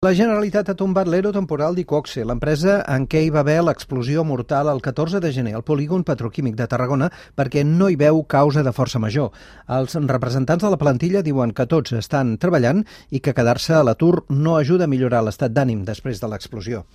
La Generalitat ha tombat l'ERO temporal d'Iqoxe, l'empresa en què hi va haver l'explosió mortal el 14 de gener al polígon petroquímic de Tarragona perquè no hi veu causa de força major. Els representants de la plantilla diuen que tots estan treballant i que quedar-se a l'atur no ajuda a millorar l'estat d'ànim després de l'explosió.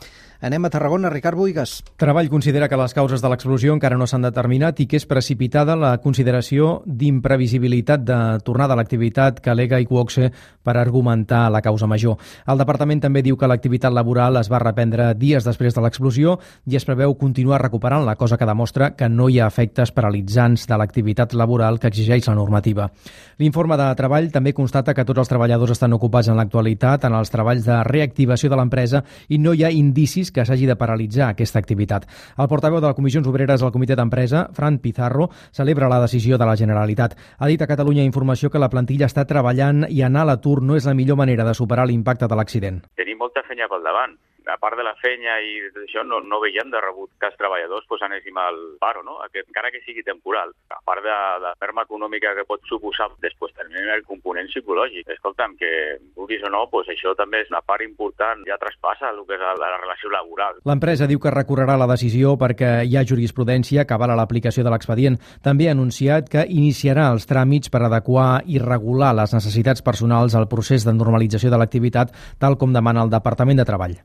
Anem a Tarragona, Ricard Boigas. Treball considera que les causes de l'explosió encara no s'han determinat i que és precipitada la consideració d'imprevisibilitat de tornada a l'activitat que al·lega Iqoxe per argumentar la causa major. El departament també diu que l'activitat laboral es va reprendre dies després de l'explosió i es preveu continuar recuperant la cosa que demostra que no hi ha efectes paralitzants de l'activitat laboral que exigeix la normativa. L'informe de treball també constata que tots els treballadors estan ocupats en l'actualitat en els treballs de reactivació de l'empresa i no hi ha indicis que s'hagi de paralitzar aquesta activitat. El portaveu de les Comissions Obreres al Comitè d'Empresa, Fran Pizarro, celebra la decisió de la Generalitat. Ha dit a Catalunya Informació que la plantilla està treballant i anar a l'atur no és la millor manera de superar l'impacte de l'accident. Tenim molta feina pel davant. A part de la feina i tot això, no veiem de rebut que els treballadors anéssim al paro, no? Encara que sigui temporal. A part de la ferma econòmica que pot suposar, després també el component psicològic. Escolta'm, que vulguis o no, això també és una part important, ja traspassa el que és la relació laboral. L'empresa diu que recorrerà la decisió perquè hi ha jurisprudència que avala l'aplicació de l'expedient. També ha anunciat que iniciarà els tràmits per adequar i regular les necessitats personals al procés de normalització de l'activitat, tal com demana el Departament de Treball.